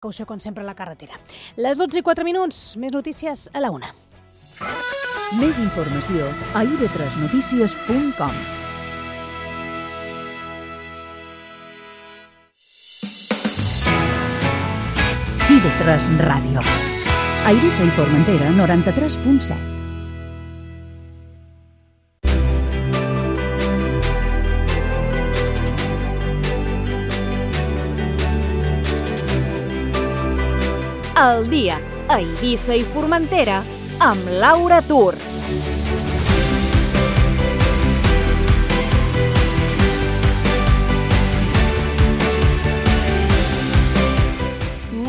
Caució, com sempre, a la carretera. Les 12:04, més notícies a la 1. Més informació a ib3notícies.com. IB3 Ràdio. A Eivissa i Formentera, 93.7. El dia a Eivissa i Formentera amb Laura Tur.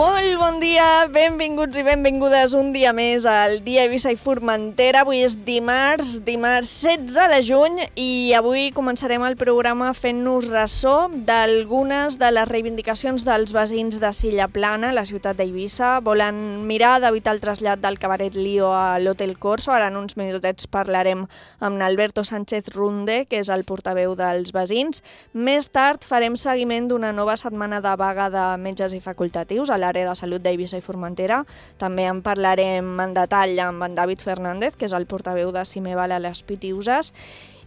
Molt bon dia, benvinguts i benvingudes un dia més al dia Eivissa i Formentera. Avui és dimarts 16 de juny i avui començarem el programa fent-nos ressò d'algunes de les reivindicacions dels veïns de Silla Plana, la ciutat d'Eivissa. Volen mirar d'evitar el trasllat del cabaret Lío a l'Hotel Corso. Ara en uns minutets parlarem amb Alberto Sánchez Runde, que és el portaveu dels veïns. Més tard farem seguiment d'una nova setmana de vaga de metges i facultatius a l'àrea de salut d'Eivissa i Formentera. També en parlarem en detall amb en David Fernández, que és el portaveu de Cimeval a les Pitiüses.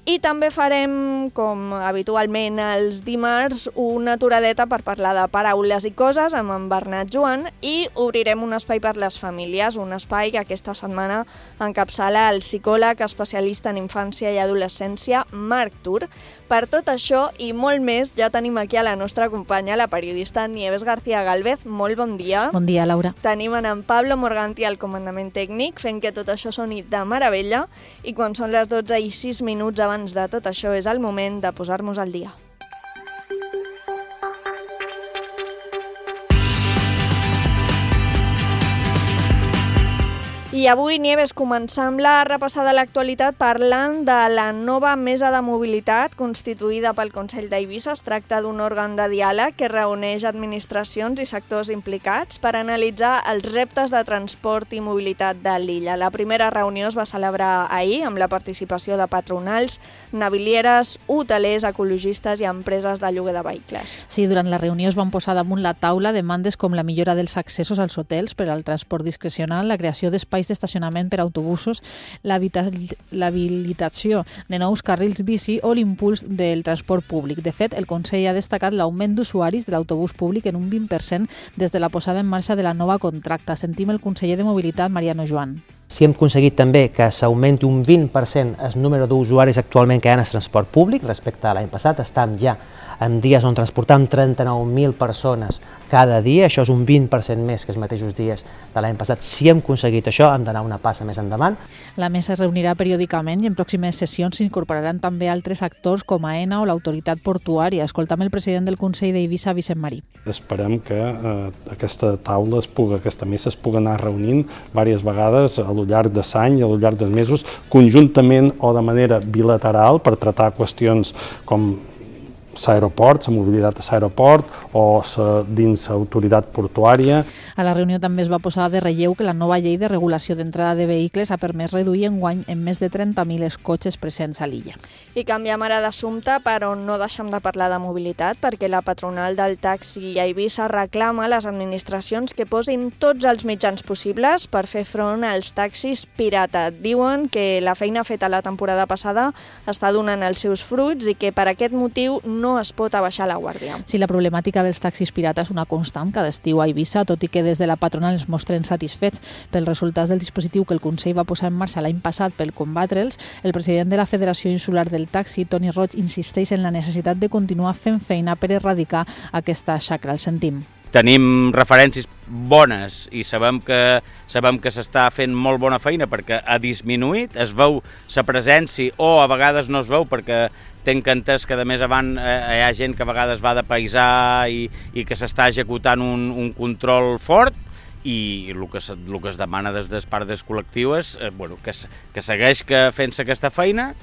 I també farem, com habitualment els dimarts, una aturadeta per parlar de paraules i coses amb en Bernat Joan i obrirem un espai per les famílies, un espai que aquesta setmana encapçala el psicòleg especialista en infància i adolescència, Marc Tur. Per tot això i molt més, ja tenim aquí a la nostra companya, la periodista Nieves García Gálvez. Molt bon dia. Bon dia, Laura. Tenim en Pablo Morganti al comandament tècnic, fent que tot això soni de meravella, i quan són les 12:06 abans de tot això és el moment de posar-nos al dia. I avui, Nieves, començam la repassada de l'actualitat parlant de la nova mesa de mobilitat constituïda pel Consell d'Eivissa. Es tracta d'un òrgan de diàleg que reuneix administracions i sectors implicats per analitzar els reptes de transport i mobilitat de l'illa. La primera reunió es va celebrar ahir amb la participació de patronals, navilieres, hotelers, ecologistes i empreses de lloguer de vehicles. Sí, durant la reunió es van posar damunt la taula demandes com la millora dels accessos als hotels per al transport discrecional, la creació d'espais d'estacionament per a autobusos, l'habilitació de nous carrils bici o l'impuls del transport públic. De fet, el Consell ha destacat l'augment d'usuaris de l'autobús públic en un 20% des de la posada en marxa de la nova contracta. Sentim el conseller de Mobilitat, Mariano Joan. Si hem aconseguit també que s'augmenti un 20% el número d'usuaris actualment que hi ha en el transport públic respecte a l'any passat. Estem ja en dies on transportam 39.000 persones cada dia, això és un 20% més que els mateixos dies de l'any passat. Si hem aconseguit això, hem d'anar una passa més endavant. La mesa es reunirà periòdicament i en pròximes sessions s'incorporaran també altres actors com AENA o l'autoritat portuària. Escoltam el president del Consell d'Eivissa, Vicent Marí. Esperem que aquesta taula, aquesta mesa es pugui anar reunint diverses vegades al llarg de l'any i al llarg dels mesos, conjuntament o de manera bilateral per tractar qüestions com l'aeroport, la mobilitat a l'aeroport o dins l'autoritat portuària. A la reunió també es va posar de relleu que la nova llei de regulació d'entrada de vehicles ha permès reduir enguany en més de 30.000 els cotxes presents a l'illa. I canviem ara d'assumpte, però no deixem de parlar de mobilitat, perquè la patronal del taxi a Eivissa reclama a les administracions que posin tots els mitjans possibles per fer front als taxis pirata. Diuen que la feina feta la temporada passada està donant els seus fruits i que per aquest motiu no es pot abaixar la guàrdia. Sí, la problemàtica dels taxis pirata és una constant cada estiu a Eivissa, tot i que des de la patronal es mostren satisfets pels resultats del dispositiu que el Consell va posar en marxa l'any passat per combatre'ls. El president de la Federació Insular del Taxi, Toni Roig, insisteix en la necessitat de continuar fent feina per erradicar aquesta xacra. El sentim. Tenim referències bones i sabem que s'està fent molt bona feina perquè ha disminuït, es veu la presència o a vegades no es veu perquè tenc entès que a més avant hi ha gent que a vegades va de paisar i que s'està executant un control fort i el que es demana des de part del col·lectiu és que segueix fent-se aquesta feina.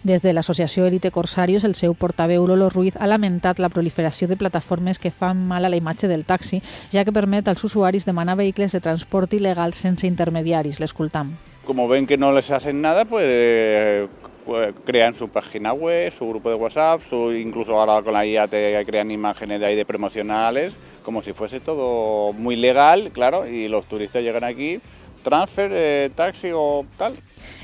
Des de l'associació Elite Corsarios, el seu portaveu Lolo Ruiz ha lamentat la proliferació de plataformes que fan mal a la imatge del taxi, ja que permet als usuaris demanar vehicles de transport il·legal sense intermediaris. L'escoltam. Como ven que no les hacen nada, pues pues, crean su página web, su grupo de WhatsApp, incluso ahora con la IA te crean imágenes de ahí de promocionales, como si fuese todo muy legal, claro, y los turistas llegan aquí, transfer, taxi o tal.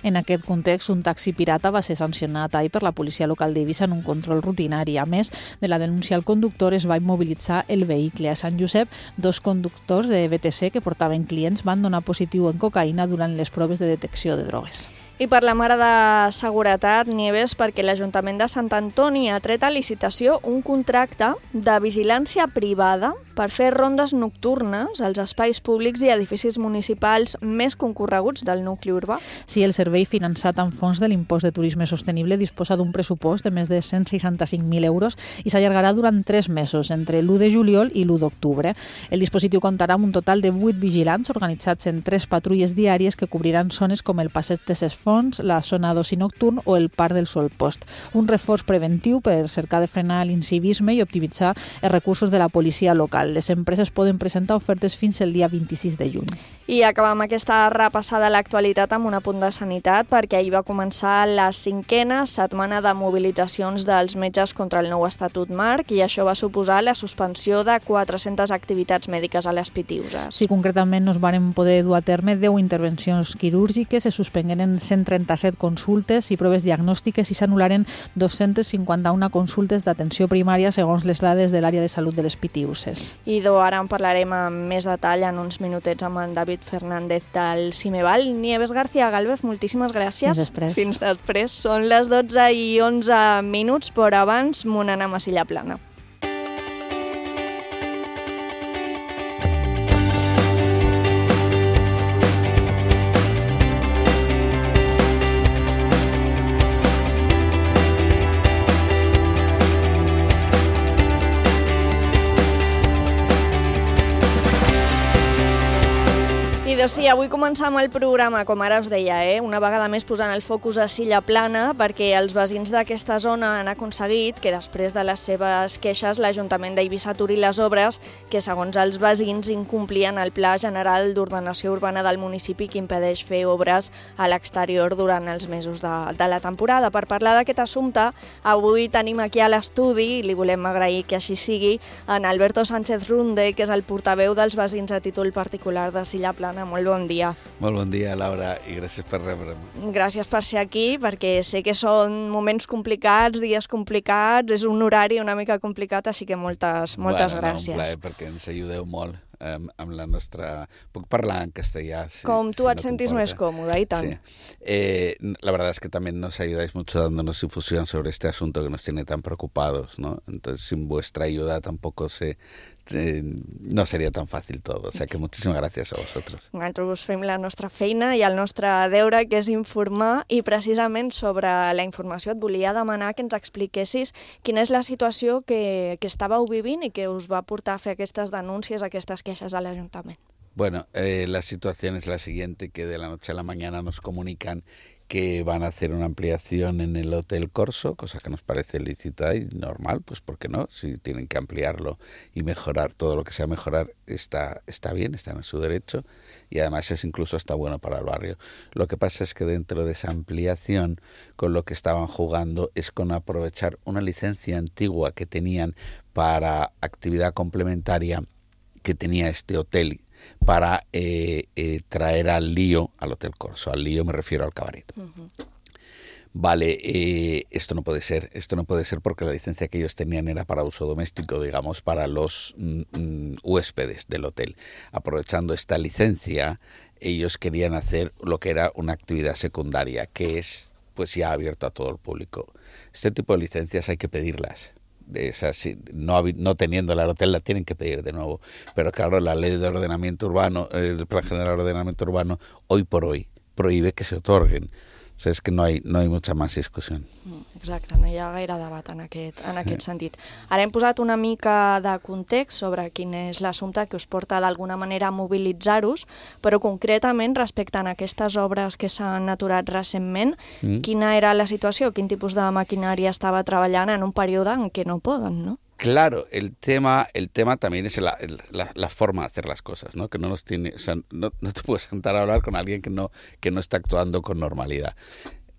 En aquest context, un taxi pirata va ser sancionat ahir per la policia local d'Eivissa en un control rutinari. A més de la denúncia al conductor, es va immobilitzar el vehicle. A Sant Josep, 2 conductors de BTC que portaven clients van donar positiu en cocaïna durant les proves de detecció de drogues. I per la mare de seguretat, Nieves, perquè l'Ajuntament de Sant Antoni ha tret a licitació un contracte de vigilància privada per fer rondes nocturnes als espais públics i edificis municipals més concorreguts del nucli urbà. Sí, el servei finançat amb fons de l'impost de turisme sostenible disposa d'un pressupost de més de 165.000 euros i s'allargarà durant 3 mesos, entre l'1 de juliol i l'1 d'octubre. El dispositiu comptarà amb un total de 8 vigilants organitzats en 3 patrulles diàries que cobriran zones com el passeig de Ses Fonts, la zona d'oci nocturn o el Parc del Solpost. Un reforç preventiu per cercar de frenar l'incivisme i optimitzar els recursos de la policia local. Les empreses poden presentar ofertes fins el dia 26 de juny. I acabam aquesta repassada a l'actualitat amb un apunt de sanitat, perquè ahir va començar la 5a setmana de mobilitzacions dels metges contra el nou Estatut Marc i això va suposar la suspensió de 400 activitats mèdiques a les Pitiüses. Sí, concretament no es varen poder dur a terme 10 intervencions quirúrgiques, se suspengueren 137 consultes i proves diagnòstiques i s'anul·laren 251 consultes d'atenció primària segons les dades de l'àrea de salut de les Pitiüses. I ara en parlarem amb més detall en uns minutets amb en David Fernández del Cimeval. Nieves García Gálvez, moltíssimes gràcies. Fins després. Fins després. Són les 12:11, però abans m'on anem a Silla Plana. Sí, avui començam el programa, com ara us deia, una vegada més posant el focus a Silla Plana, perquè els veïns d'aquesta zona han aconseguit que després de les seves queixes l'Ajuntament d'Eivissa aturi les obres que, segons els veïns, incomplien el Pla General d'Ordenació Urbana del municipi que impedeix fer obres a l'exterior durant els mesos de la temporada. Per parlar d'aquest assumpte, avui tenim aquí a l'estudi, i li volem agrair que així sigui, en Alberto Sánchez Runde, que és el portaveu dels veïns a títol particular de Silla Plana. Molt bon dia. Molt bon dia, Laura, i gràcies per rebre'm. Gràcies per ser aquí, perquè sé que són moments complicats, dies complicats, és un horari una mica complicat, així que moltes gràcies. Un plaer, perquè ens ajudeu molt amb la nostra... Puc parlar en castellà? Com tu et sentis més còmode, i tant. Sí. La verdad es que también nos ayudáis mucho dándonos difusión sobre este asunto que nos tiene tan preocupados, ¿no? Entonces, sin vuestra ayuda tampoco no sería tan fácil todo, o sea que muchísimas gracias a vosotros. Nosaltres fem la nostra feina i el nostre deure, que és informar, i precisament sobre la informació et volia demanar que ens expliquessis quina és la situació que estàveu vivint i que us va portar a fer aquestes denúncies, aquestes queixes a l'Ajuntament. Bueno, la situación es la siguiente, que de la noche a la mañana nos comunican que van a hacer una ampliación en el Hotel Corso, cosa que nos parece lícita y normal, pues ¿por qué no? Si tienen que ampliarlo y mejorar todo lo que sea mejorar, está bien, está en su derecho y además es incluso hasta bueno para el barrio. Lo que pasa es que dentro de esa ampliación, con lo que estaban jugando es con aprovechar una licencia antigua que tenían para actividad complementaria que tenía este hotel para traer al Lío, al Hotel Corso. Al Lío me refiero al cabaret. Uh-huh. Vale, esto no puede ser porque la licencia que ellos tenían era para uso doméstico, digamos, para los huéspedes del hotel. Aprovechando esta licencia, ellos querían hacer lo que era una actividad secundaria, que es pues ya abierto a todo el público. Este tipo de licencias hay que pedirlas. No teniendo el hotel la tienen que pedir de nuevo, pero claro, la ley de ordenamiento urbano, el Plan General de Ordenamiento Urbano, hoy por hoy prohíbe que se otorguen. O sea, és que no hay mucha más discussió. Exacte, no hi ha gaire debat en aquest sentit. Ara hem posat una mica de context sobre quin és l'assumpte que us porta d'alguna manera a mobilitzar-vos, però concretament respecte a aquestes obres que s'han aturat recentment, quina era la situació? Quin tipus de maquinària estava treballant en un període en què no poden, no? Claro, el tema también es la forma de hacer las cosas, ¿no? Que no te puedes sentar a hablar con alguien que no está actuando con normalidad.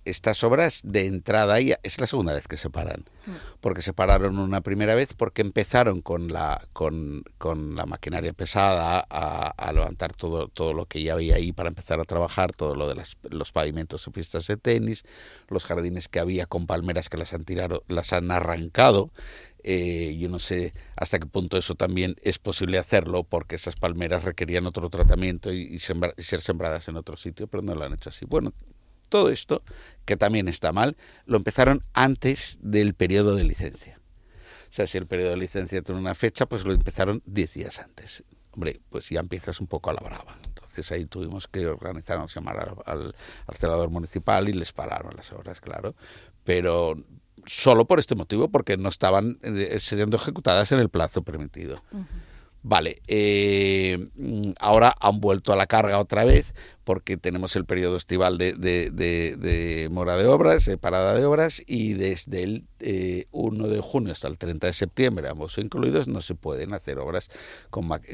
estas obras de entrada ya es la segunda vez que se paran, porque se pararon una primera vez porque empezaron con la maquinaria pesada a levantar todo lo que ya había ahí para empezar a trabajar, todo lo de los pavimentos y pistas de tenis, los jardines que había con palmeras que las han arrancado. Yo no sé hasta qué punto eso también es posible hacerlo, porque esas palmeras requerían otro tratamiento y ser sembradas en otro sitio, pero no lo han hecho así. Bueno, todo esto, que también está mal, lo empezaron antes del periodo de licencia. O sea, si el periodo de licencia tiene una fecha, pues lo empezaron 10 días antes. Hombre, pues ya empiezas un poco a la brava. Entonces ahí tuvimos que organizarnos, llamar al celador municipal y les pararon las obras, claro. Pero solo por este motivo, porque no estaban siendo ejecutadas en el plazo permitido. Vale, ahora han vuelto a la carga otra vez, porque tenemos el periodo estival de mora de obras, de parada de obras, y desde el 1 de junio hasta el 30 de septiembre, ambos incluidos, no se pueden hacer obras,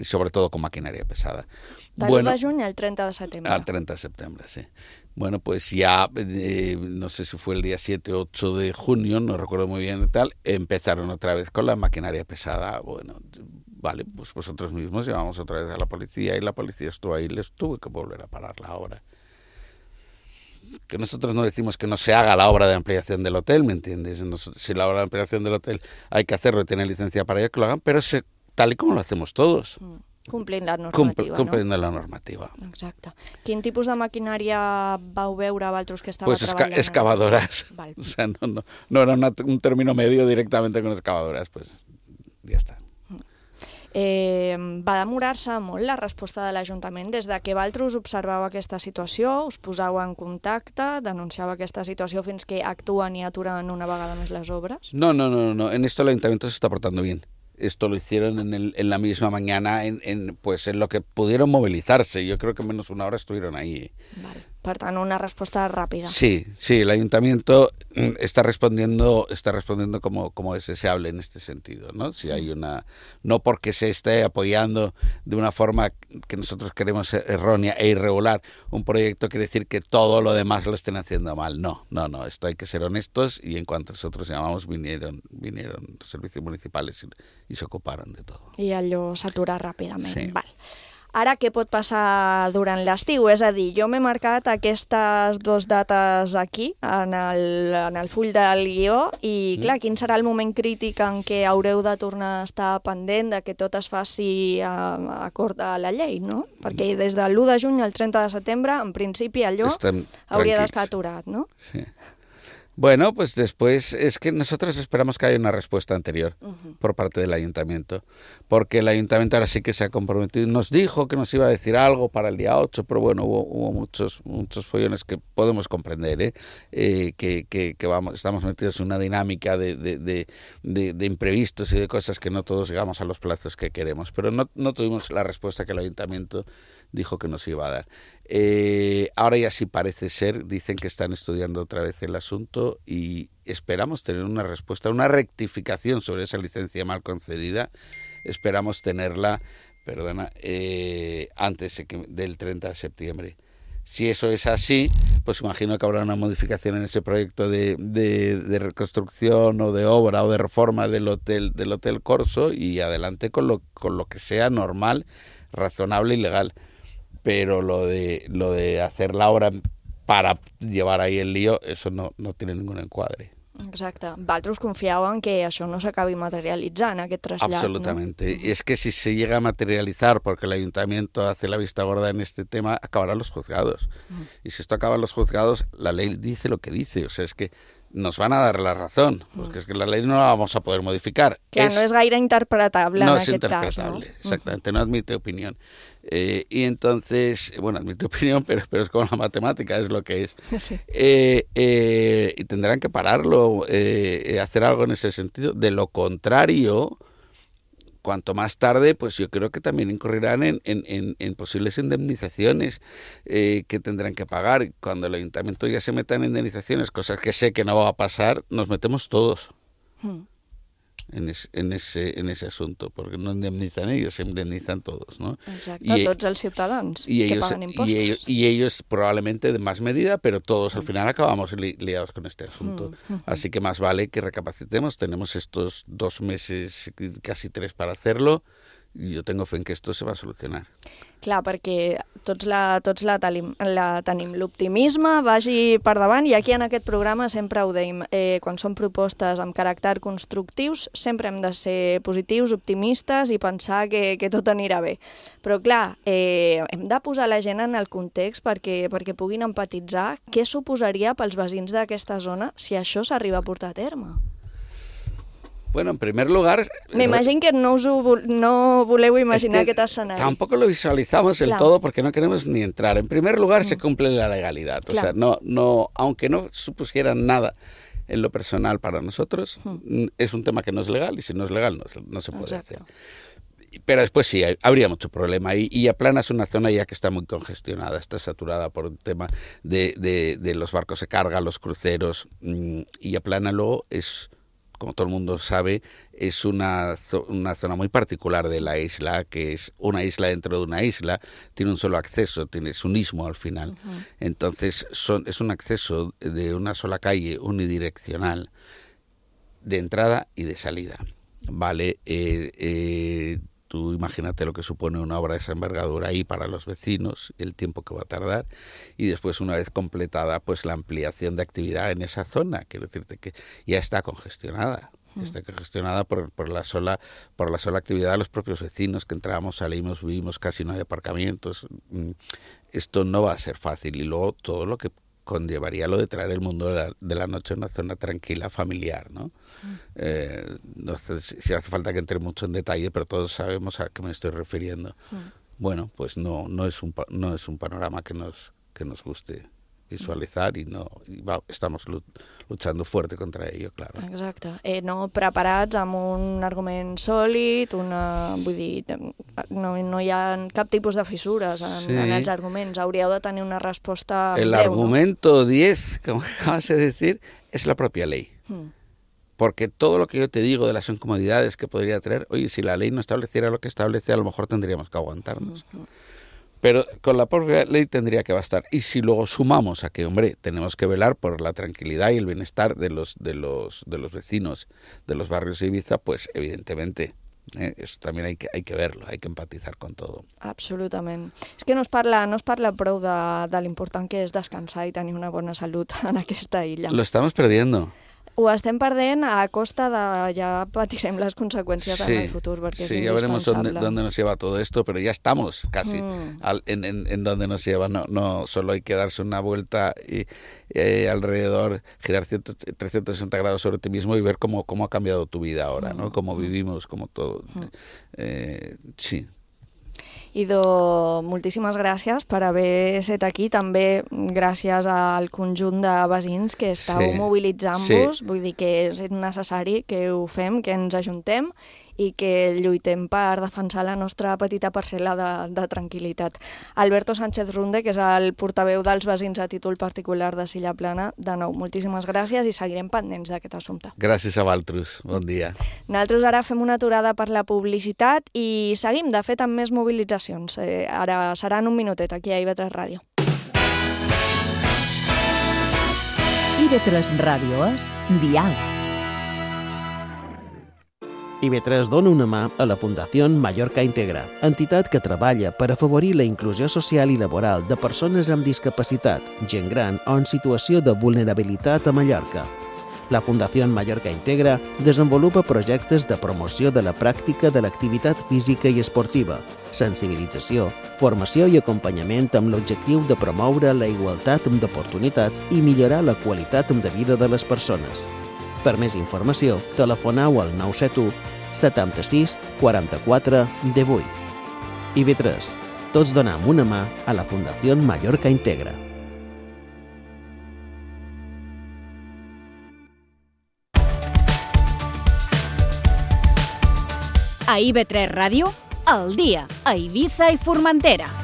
sobre todo con maquinaria pesada. Del 1 de junio al 30 de septiembre. Al 30 de septiembre, sí. Bueno, pues ya, no sé si fue el día 7 o 8 de junio, no recuerdo muy bien y tal, empezaron otra vez con la maquinaria pesada. Bueno, vale, pues vosotros mismos llevamos otra vez a la policía y la policía estuvo ahí y les tuve que volver a parar la obra. Que nosotros no decimos que no se haga la obra de ampliación del hotel, ¿me entiendes? Si la obra de ampliación del hotel hay que hacerlo y tienen licencia para ello, que lo hagan, pero tal y como lo hacemos todos. Complint la normativa, complint la normativa. Exacte. Quin tipus de maquinària vau veure vosaltres que estava treballant? Pues excavadoras. Vale. O sea, no era un término medio directamente con excavadoras, pues ya está. Va demorar-se molt la resposta de l'Ajuntament des de que vosaltres observeu aquesta situació, us poseu en contacte, denuncieu aquesta situació fins que actuen i aturen una vegada més les obres? No. En esto el Ayuntamiento se está portando bien. Esto lo hicieron en la misma mañana, pues en lo que pudieron movilizarse. Yo creo que menos una hora estuvieron ahí. Vale. Per tant, una respuesta rápida. Sí, el Ayuntamiento está respondiendo como es deseable en este sentido, ¿no? Si hay no porque se esté apoyando de una forma que nosotros queremos errónea e irregular un proyecto, quiere decir que todo lo demás lo estén haciendo mal. No, esto hay que ser honestos, y en cuanto nosotros llamamos vinieron los servicios municipales y se ocuparon de todo. I allò s'atura ràpidament. Sí. Val. Ara, què pot passar durant l'estiu? És a dir, jo m'he marcat aquestes 2 dates aquí, en el full del guió, i clar, quin serà el moment crític en què haureu de tornar a estar pendent de que tot es faci acord a la llei, no? Perquè des de l'1 de juny al 30 de setembre, en principi, allò hauria d'estar aturat, no? Sí. Bueno, pues después es que nosotros esperamos que haya una respuesta anterior por parte del Ayuntamiento, porque el Ayuntamiento ahora sí que se ha comprometido. Nos dijo que nos iba a decir algo para el día 8, pero bueno, hubo muchos follones que podemos comprender, que estamos metidos en una dinámica de imprevistos y de cosas que no todos llegamos a los plazos que queremos, pero no tuvimos la respuesta que el Ayuntamiento dijo que nos iba a dar. Ahora ya sí parece ser, dicen que están estudiando otra vez el asunto y esperamos tener una respuesta, una rectificación sobre esa licencia mal concedida. Esperamos tenerla, antes del 30 de septiembre. Si eso es así, pues imagino que habrá una modificación en ese proyecto de reconstrucción o de obra o de reforma del Hotel Corso, y adelante con lo que sea normal, razonable y legal. Pero lo de hacer la obra para llevar ahí el lío, eso no tiene ningún encuadre. Exacte. Vosaltres confieu en que això no s'acabi materialitzant, aquest trasllat, Absolutamente. ¿no? Y es que si se llega a materializar porque el Ayuntamiento hace la vista gorda en este tema, acabarán los juzgados. Y si esto acaba en los juzgados, la ley dice lo que dice. O sea, es que nos van a dar la razón, porque es que la ley no la vamos a poder modificar. Clar, no és gaire interpretable en aquest cas, no? No es interpretable, exactamente, no admite opinión. Y entonces, bueno, admite opinión, pero es como la matemática, es lo que es. Sí. Y tendrán que pararlo, hacer algo en ese sentido. De lo contrario, cuanto más tarde, pues yo creo que también incurrirán en posibles indemnizaciones que tendrán que pagar. Cuando el Ayuntamiento ya se meta en indemnizaciones, cosas que sé que no va a pasar, nos metemos todos. en ese asunto, porque no indemnizan ellos, se indemnizan todos, ¿no? Exacto, tots els ciutadans que pagan impostos. Y ellos probablemente de más medida, pero todos al final acabamos liados con este asunto. Así que más vale que recapacitemos. Tenemos estos 2 meses, casi 3 para hacerlo, i jo tengo fe en que esto se va a solucionar. Clar, perquè tots la tenim. L'optimisme vagi per davant i aquí en aquest programa sempre ho deim. Quan són propostes amb caràcter constructius sempre hem de ser positius, optimistes i pensar que tot anirà bé. Però clar, hem de posar la gent en el context perquè puguin empatitzar què suposaria pels veïns d'aquesta zona si això s'arriba a portar a terme. Bueno, en primer lugar... Me imagino que no voleu imaginar aquest escenari. Tampoco lo visualizamos del todo porque no queremos ni entrar. En primer lugar, se cumple la legalidad. O sea, aunque no supusiera nada en lo personal para nosotros, es un tema que no es legal y si no es legal no se puede hacer. Pero después sí, habría mucho problema. Y Aplana es una zona ya que está muy congestionada, está saturada por un tema de los barcos de carga, los cruceros. Y Aplana luego es... como todo el mundo sabe, es una zona muy particular de la isla, que es una isla dentro de una isla, tiene un solo acceso, es un istmo al final. Entonces es un acceso de una sola calle unidireccional, de entrada y de salida. Vale, tú imagínate lo que supone una obra de esa envergadura ahí para los vecinos, el tiempo que va a tardar, y después una vez completada pues la ampliación de actividad en esa zona, quiero decirte que ya está congestionada. Está congestionada por la sola actividad de los propios vecinos, que entramos, salimos, vivimos, casi no hay aparcamientos. Esto no va a ser fácil. Y luego todo lo que conllevaría lo de traer el mundo de la noche a una zona tranquila, familiar, ¿no? No sé si hace falta que entre mucho en detalle, pero todos sabemos a qué me estoy refiriendo. Bueno, pues no es un panorama que nos guste visualitzar i estamos luchando fuerte contra ello, claro. Exacte. No preparats amb un argument sòlid, vull dir, no hi ha cap tipus de fissures en els arguments. Hauríeu de tenir una resposta El argumento 10, como acabas de decir, es la propia ley. Porque todo lo que yo te digo de las incomodidades que podría traer, oye, si la ley no estableciera lo que establece, a lo mejor tendríamos que aguantarnos. Pero con la propia ley tendría que bastar. Y si luego sumamos a que, hombre, tenemos que velar por la tranquilidad y el bienestar de los vecinos de los barrios de Ibiza, pues evidentemente eso también hay que verlo, hay que empatizar con todo. Absolutament. És que no es parla prou de l'important que és descansar i tenir una bona salut en aquesta illa. Lo estamos perdiendo. Ho estem perdent a costa de... Ja patirem les conseqüències en el futur, perquè és indispensable. Ya veremos dónde nos lleva todo esto, pero ya estamos casi en donde nos lleva. No solo hay que darse una vuelta y alrededor, girar 360 grados sobre ti mismo y ver cómo ha cambiado tu vida ahora, ¿no? Cómo vivimos, cómo todo. Sí. Idò, moltíssimes gràcies per haver estat aquí, també gràcies al conjunt de veïns que estàu mobilitzant-vos, vull dir que és necessari que ho fem, que ens ajuntem i que lluitem per defensar la nostra petita parcel·la de tranquil·litat. Alberto Sánchez Runde, que és el portaveu dels veïns a títol particular de Silla Plana, de nou, moltíssimes gràcies i seguirem pendents d'aquest assumpte. Gràcies a Valtrus, bon dia. Nosaltres ara fem una aturada per la publicitat i seguim, de fet, amb més mobilitzacions. Ara serà en un minutet aquí a IB3 Ràdio. IB3 Ràdio és Diàleg. IB3 dona una mà a la Fundació Mallorca Integra, entitat que treballa per afavorir la inclusió social i laboral de persones amb discapacitat, gent gran o en situació de vulnerabilitat a Mallorca. La Fundació Mallorca Integra desenvolupa projectes de promoció de la pràctica de l'activitat física i esportiva, sensibilització, formació i acompanyament amb l'objectiu de promoure la igualtat d'oportunitats i millorar la qualitat de vida de les persones. Per més informació, telefoneu al 971 76 44 18. IB3. Tots donem una mà a la Fundació Mallorca Integra. A IB3 Ràdio, al dia, a Eivissa i Formentera.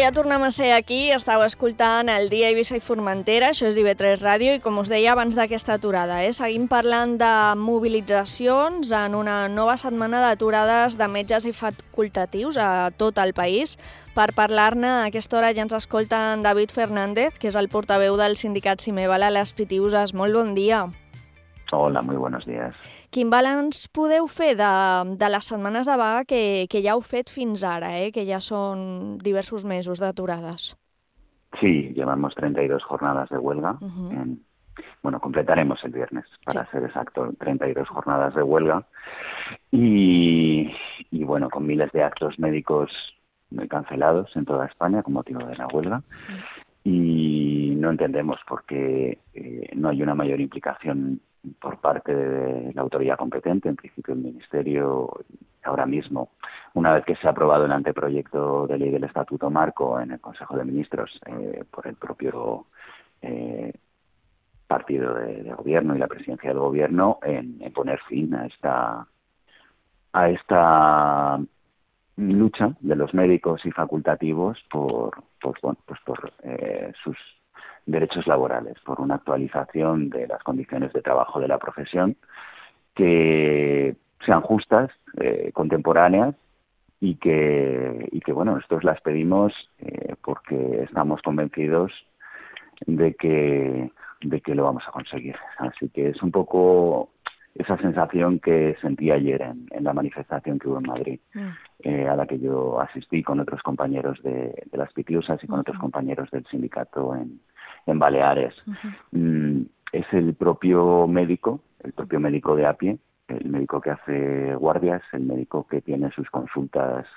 ja tornem a ser aquí. Estàu escoltant el Dia Eivissa i Formentera, això és IB3 Ràdio, i com us deia abans d'aquesta aturada, seguim parlant de mobilitzacions en una nova setmana d'aturades de metges i facultatius a tot el país. Per parlar-ne, a aquesta hora ja ens escolta en David Fernández, que és el portaveu del sindicat Cimeval a les Pitiuses. Molt bon dia. Hola, muy buenos días. Quin balanç podeu fer de les setmanes de vaga que ja heu fet fins ara, que ja són diversos mesos d'aturades? Sí, llevamos 32 jornadas de huelga. Bueno, completaremos el viernes, para ser exacto, 32 jornadas de huelga. Y bueno, con miles de actos médicos cancelados en toda España con motivo de la huelga. Y no entendemos por qué no hay una mayor implicación por parte de la autoridad competente, en principio el Ministerio. Ahora mismo, una vez que se ha aprobado el anteproyecto de ley del Estatuto Marco en el Consejo de Ministros por el propio partido de gobierno y la presidencia del gobierno, en poner fin a esta lucha de los médicos y facultativos por sus derechos laborales, por una actualización de las condiciones de trabajo de la profesión que sean justas, contemporáneas y que bueno, nosotros las pedimos porque estamos convencidos de que lo vamos a conseguir. Así que es un poco esa sensación que sentí ayer en la manifestación que hubo en Madrid, a la que yo asistí con otros compañeros de las Pitiusas y con otros compañeros del sindicato en Baleares. Es el propio médico de a pie, el médico que hace guardias, el médico que tiene sus consultas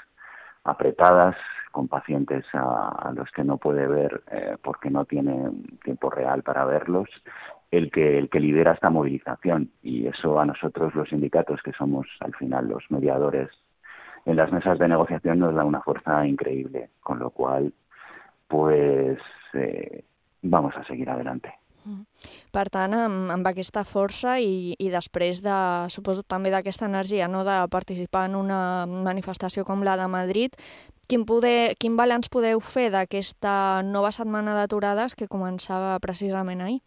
apretadas con pacientes a los que no puede ver porque no tiene tiempo real para verlos, el que lidera esta movilización. Y eso a nosotros, los sindicatos, que somos al final los mediadores en las mesas de negociación, nos da una fuerza increíble, con lo cual pues vamos a seguir adelante. Per tant, amb aquesta força i després suposo també d'aquesta energia, no, de participar en una manifestació com la de Madrid, quin balanç podeu fer d'aquesta nova setmana d'aturades que començava precisament ahir?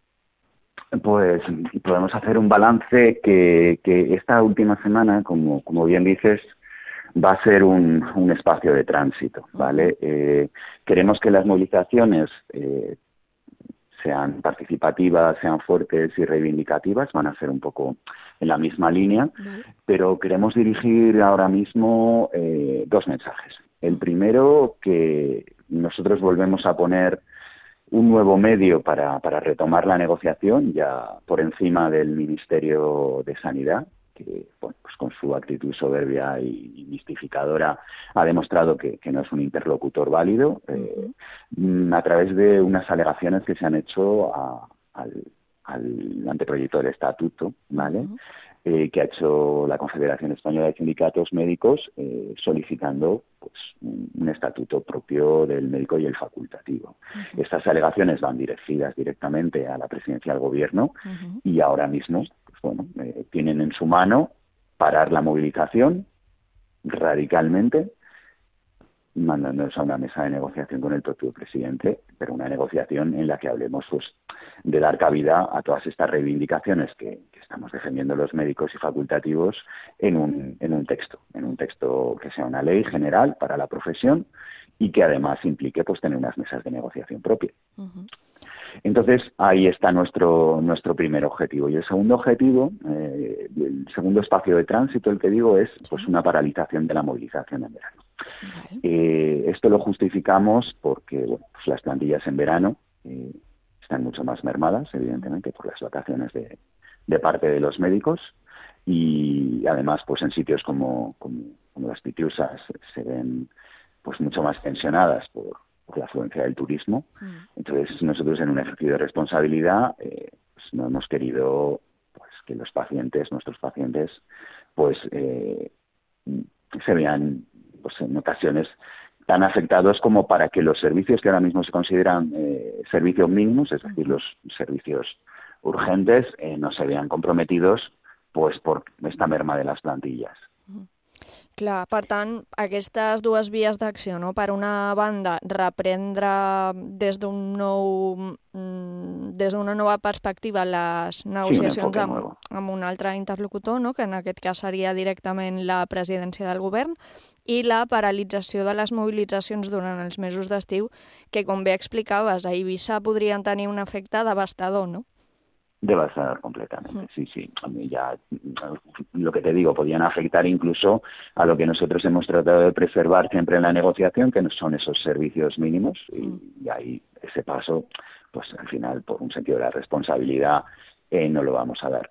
Pues podemos hacer un balance que esta última semana, como bien dices, va a ser un espacio de tránsito, ¿vale? Queremos que las movilizaciones sean participativas, sean fuertes y reivindicativas, van a ser un poco en la misma línea, pero queremos dirigir ahora mismo dos mensajes. El primero, que nosotros volvemos a poner un nuevo medio para retomar la negociación, ya por encima del Ministerio de Sanidad, que bueno, pues con su actitud soberbia y mistificadora ha demostrado que no es un interlocutor válido, a través de unas alegaciones que se han hecho al anteproyecto del estatuto, ¿vale? Que ha hecho la Confederación Española de Sindicatos Médicos, solicitando pues un estatuto propio del médico y el facultativo. Estas alegaciones van dirigidas directamente a la presidencia del gobierno y ahora mismo tienen en su mano parar la movilización radicalmente, mandándonos a una mesa de negociación con el propio presidente, pero una negociación en la que hablemos pues de dar cabida a todas estas reivindicaciones que estamos defendiendo los médicos y facultativos en un texto que sea una ley general para la profesión y que además implique pues tener unas mesas de negociación propias. Entonces, ahí está nuestro primer objetivo. Y el segundo objetivo, el segundo espacio de tránsito, el que digo, es pues una paralización de la movilización en verano. Esto lo justificamos porque bueno, pues las plantillas en verano están mucho más mermadas, evidentemente, por las vacaciones de parte de los médicos y además pues en sitios como las Pitiusas se ven pues mucho más tensionadas por la afluencia del turismo. Entonces nosotros, en un ejercicio de responsabilidad, pues no hemos querido pues que los pacientes, nuestros pacientes, pues se vean pues en ocasiones tan afectados como para que los servicios que ahora mismo se consideran servicios mínimos, es decir, los servicios urgentes, no se vean comprometidos pues por esta merma de las plantillas. Clar, per tant, aquestes dues vies d'acció, no? Per una banda, reprendre des d'una nova perspectiva les negociacions amb un altre interlocutor, no? Que en aquest cas seria directament la presidència del govern, i la paralització de les mobilitzacions durant els mesos d'estiu, que, com bé explicaves, a Eivissa podrien tenir un efecte devastador, no? Devastador completamente, sí. A mí ya, lo que te digo, podían afectar incluso a lo que nosotros hemos tratado de preservar siempre en la negociación, que son esos servicios mínimos, y ahí ese paso, pues al final, por un sentido de la responsabilidad, no lo vamos a dar.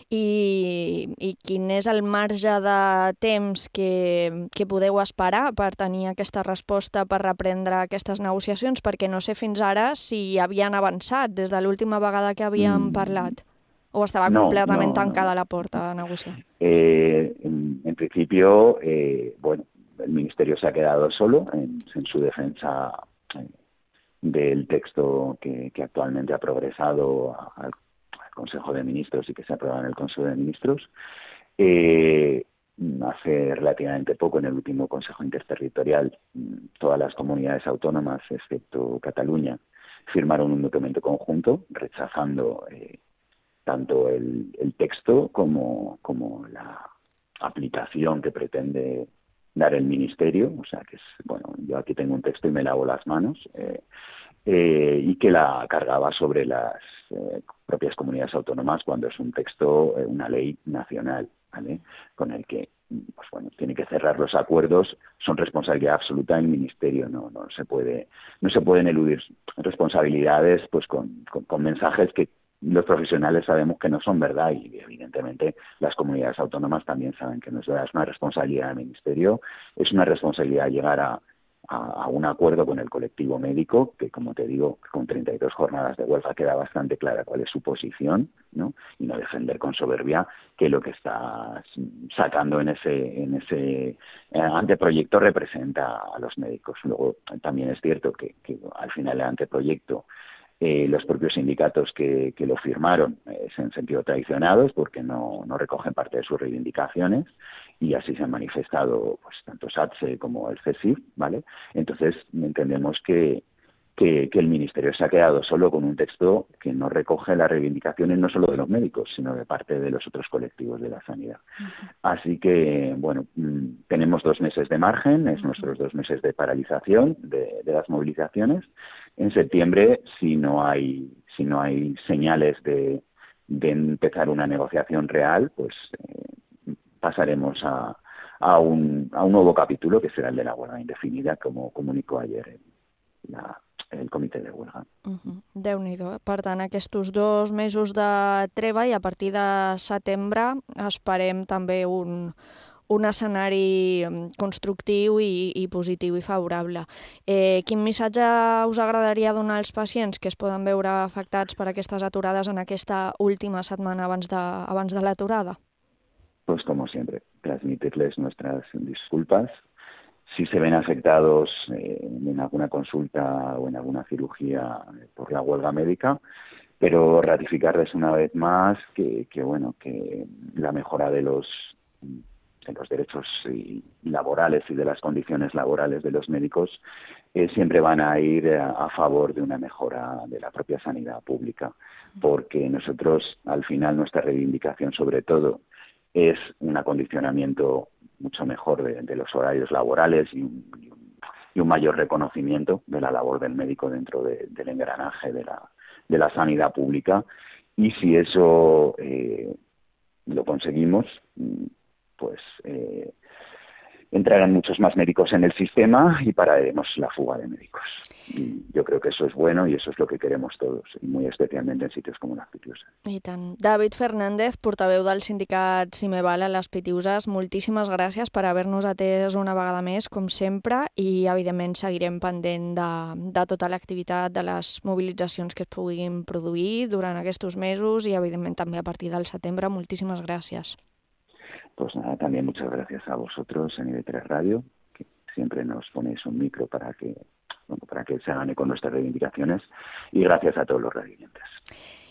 I quin és el marge de temps que podeu esperar per tenir aquesta resposta per reprendre aquestes negociacions? Perquè no sé fins ara si havien avançat des de l'última vegada que havíem parlat, o estava completament tancada la porta a negociar. En principio, bueno, el Ministerio se ha quedado solo en su defensa del texto que actualmente ha progresado al Consejo de Ministros y que se aprueba en el Consejo de Ministros. Hace relativamente poco, en el último Consejo Interterritorial, todas las comunidades autónomas, excepto Cataluña, firmaron un documento conjunto rechazando tanto el texto como la aplicación que pretende dar el Ministerio. O sea, que es, bueno, yo aquí tengo un texto y me lavo las manos, y que la cargaba sobre las propias comunidades autónomas cuando es un texto, una ley nacional, ¿vale? Con el que, pues bueno, tiene que cerrar los acuerdos, son responsabilidad absoluta del Ministerio, no se pueden eludir responsabilidades pues con mensajes que los profesionales sabemos que no son verdad, y evidentemente las comunidades autónomas también saben que no es verdad. Es una responsabilidad del Ministerio, es una responsabilidad llegar a un acuerdo con el colectivo médico, que, como te digo, con 32 jornadas de huelga queda bastante clara cuál es su posición, ¿no? Y no defender con soberbia que lo que está sacando en ese anteproyecto representa a los médicos. Luego, también es cierto que al final el anteproyecto, los propios sindicatos que lo firmaron se han sentido traicionados porque no recogen parte de sus reivindicaciones, y así se han manifestado pues tanto SATSE como el CESIF, ¿vale? Entonces entendemos que el Ministerio se ha quedado solo con un texto que no recoge las reivindicaciones no solo de los médicos, sino de parte de los otros colectivos de la sanidad. Así que, bueno, tenemos 2 meses de margen, es nuestros 2 meses de paralización de las movilizaciones. En septiembre, si no hay señales de empezar una negociación real, pues pasaremos a un nuevo capítulo, que será el de la huelga indefinida, como comunicó ayer el comitè de huelga. Déu-n'hi-do. Per tant, aquests 2 mesos de treva, i a partir de setembre esperem també un escenari constructiu i positiu i favorable. Quin missatge us agradaria donar als pacients que es poden veure afectats per aquestes aturades en aquesta última setmana abans de l'aturada? Pues como siempre, transmitirles nuestras disculpas. Si se ven afectados en alguna consulta o en alguna cirugía por la huelga médica, pero ratificarles una vez más que la mejora de los derechos laborales y de las condiciones laborales de los médicos siempre van a ir a favor de una mejora de la propia sanidad pública, porque nosotros, al final, nuestra reivindicación sobre todo es un acondicionamiento mucho mejor de los horarios laborales y un mayor reconocimiento de la labor del médico dentro del engranaje de la sanidad pública. Y si eso lo conseguimos, pues entrarán muchos más médicos en el sistema y pararemos la fuga de médicos. Y yo creo que eso es bueno y eso es lo que queremos todos, y muy especialmente en sitios como las Pitiuses. I tant. David Fernández, portaveu del sindicat Simeval a les Pitiuses, moltíssimes gràcies per haver-nos atès una vegada més, com sempre, i evidentment seguirem pendent de tota l'activitat, de les mobilitzacions que es puguin produir durant aquests mesos i evidentment també a partir del setembre. Moltíssimes gràcies. Pues nada, también muchas gracias a vosotros en IB3 Radio, que siempre nos ponéis un micro para que se hagan eco nuestras reivindicaciones, y gracias a todos los radioyentes.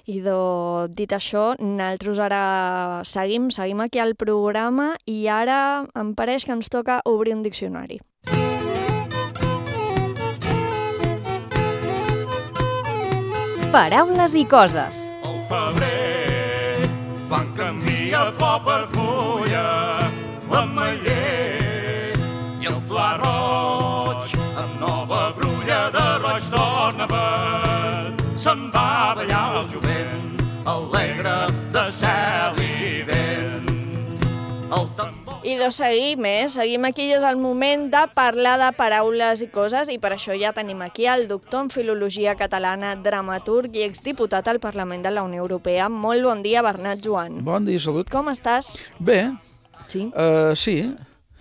Dit això, nosaltres ara seguim aquí al programa i ara em pareix que ens toca obrir un diccionari. Paraules i coses. Al febrer van canviar flor per fulla, l'ametller i el pla roig, amb nova brulla de roig torna verd. Se'n va ballar el jovent, alegre de cel i vent. El tambor... I seguim aquí, és el moment de parlar de paraules i coses, i per això ja tenim aquí el doctor en Filologia Catalana, dramaturg i exdiputat al Parlament de la Unió Europea. Molt bon dia, Bernat Joan. Bon dia, salut. Com estàs? Bé. Sí? Sí.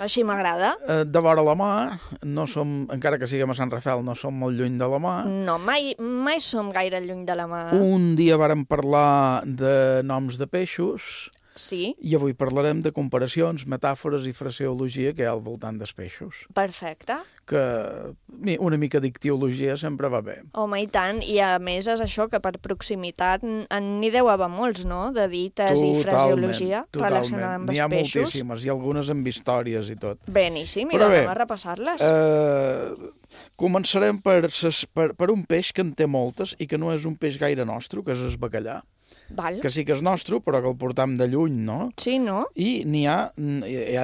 Així m'agrada. De vora la mà, no som, encara que siguem a Sant Rafel, no som molt lluny de la mà. No, mai som gaire lluny de la mà. Un dia vàrem parlar de noms de peixos. Sí. I avui parlarem de comparacions, metàfores i fraseologia que hi ha al voltant dels peixos. Perfecte. Que una mica d'ictiologia sempre va bé. Home, i tant. I a més és això, que per proximitat n'hi deu haver molts, no?, de dites i fraseologia relacionada amb els peixos. N'hi ha moltíssimes, i algunes amb històries i tot. Beníssim, i anem a repassar-les. Començarem per un peix que en té moltes i que no és un peix gaire nostre, que és el bacallà. Val. Que sí que és nostre, però que el portam de lluny, no? Sí, no? I hi ha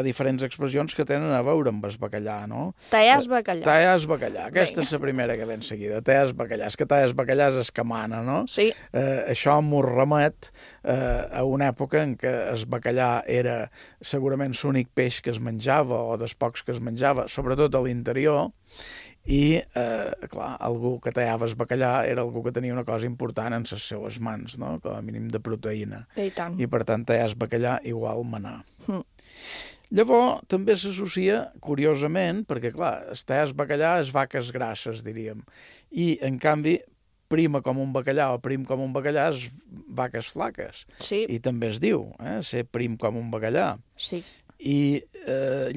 diferents expressions que tenen a veure amb el bacallà, no? Tallar bacallà. Tallar bacallà. Aquesta és la primera que ve en seguida. Tallar bacallà. És que tallar bacallà és escamana, no? Sí. Això m'ho remet a una època en què el bacallà era segurament l'únic peix que es menjava, o dels pocs que es menjava, sobretot a l'interior. I, clar, algú que tallava el bacallà era algú que tenia una cosa important en les seues mans, no?, com a mínim de proteïna. I tant. I, per tant, tallar el bacallà igual manar. Llavors, també s'associa, curiosament, perquè, clar, tallar el bacallà és vaques grasses, diríem. I, en canvi, prima com un bacallà o prim com un bacallà és vaques flaques. Sí. I també es diu, ser prim com un bacallà. Sí. I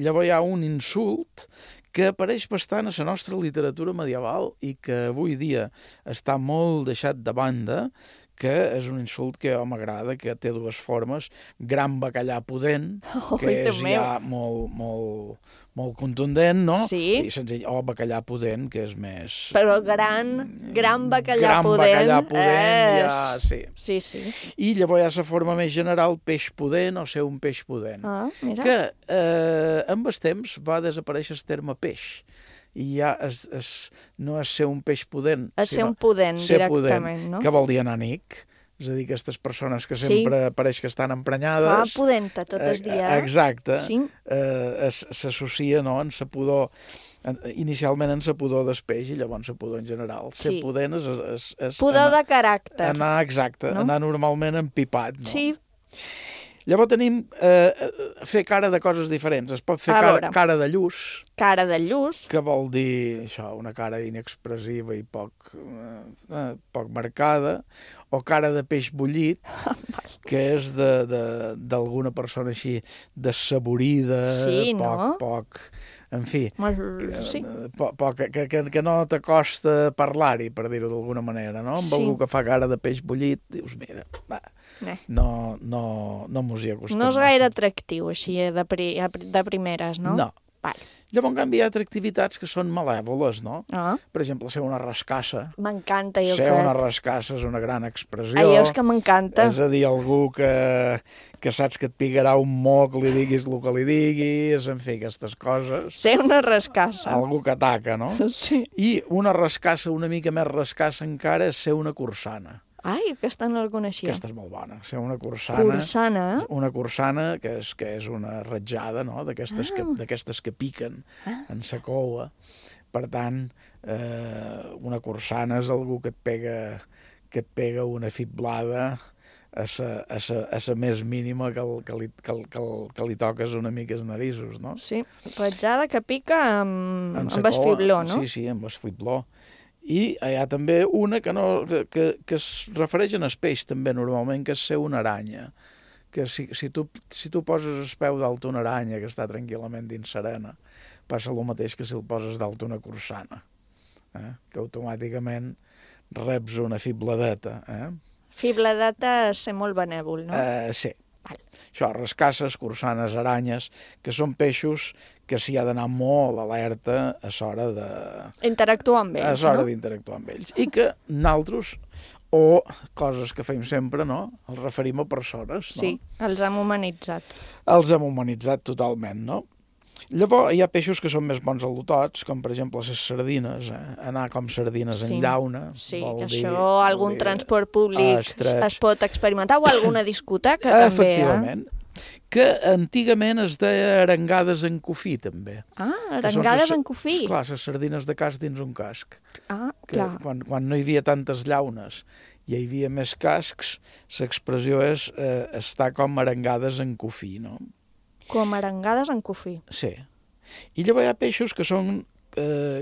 llavors hi ha un insult que apareix bastant a la nostra literatura medieval i que avui dia està molt deixat de banda, que és un insult que m'agrada, que té dues formes: gran bacallà pudent, que és ja molt contundent, no? Sí. I senzill, o bacallà pudent, que és més... Però gran bacallà gran pudent... bacallà pudent, ja, sí. Sí, sí. I llavors hi ha la forma més general, peix pudent o ser un peix pudent. Ah, mira. Que amb el temps va desaparèixer el terme peix. I ja no és ser un peix pudent. És ser un pudent, directament, no? Que vol dir enanic. És a dir, aquestes persones que sempre pareix que estan emprenyades... pudenta tot el dia. Exacte. Sí. S'associa, no?, en la pudor... Inicialment en la pudor del peix i llavors la pudor en general. Ser pudent és pudor de caràcter. Anar normalment empipat, no? Sí. Llavors tenim fer cara de coses diferents. Es pot fer cara de lluç. Cara de lluç. Que vol dir això, una cara inexpressiva i poc marcada. O cara de peix bullit, que és d'alguna persona així desaborida, poc... En fi, que no t'acosta parlar-hi, per dir-ho d'alguna manera, no? Amb algú que fa cara de peix bullit, dius, mira, no mos hi acostem. No és gaire atractiu, així, de primeres, no? No. Llavors, en canvi, hi ha activitats que són malèvoles, no? Per exemple, ser una rascassa. M'encanta, jo crec. Ser una rascassa és una gran expressió. Ai, és que m'encanta. És a dir, algú que saps que et picarà un moc, li diguis el que li diguis, en fi, aquestes coses. Ser una rascassa. Algú que ataca, no? Sí. I una rascassa, una mica més rascassa encara, és ser una cursana. Ai, aquesta no la coneixia. Aquesta és molt bona. Ser una cursana. Cursana? Una cursana, que és una ratjada, no?, d'aquestes que piquen en sa coua. Per tant, una cursana és algú que et pega una fiblada a la més mínima que li toques una mica els narisos, no? Sí, ratjada que pica amb el fibló, no? Sí, amb el fibló. I hi ha també una que es refereix en el peix, també, normalment, que és ser una aranya. Que si tu poses el peu dalt una aranya que està tranquil·lament dins serena, passa el mateix que si el poses dalt una cursana, que automàticament reps una fibladeta. Fibladat és ser molt benèvol, no? Sí. Això, rascasses, corsanes, aranyes, que són peixos que s'hi ha d'anar molt alerta a l'hora de... Interactuar amb ells, a l'hora d'interactuar amb ells. I que nosaltres, o coses que fem sempre, no? Els referim a persones, no? Sí, els hem humanitzat. Els hem humanitzat totalment, no? Llavors, hi ha peixos que són més bons al·lotots, com per exemple les sardines, anar com sardines en llauna. Sí, que això algun transport públic es pot experimentar, o alguna discoteca també. Efectivament. Que antigament es deia arengades en cofí, també. Arengades en cofí. Clar, les sardines de casc dins un casc. Clar. Quan no hi havia tantes llaunes i hi havia més cascs, l'expressió és estar com arengades en cofí, no? Com arengades en cofí. Sí. I llavors hi ha peixos que són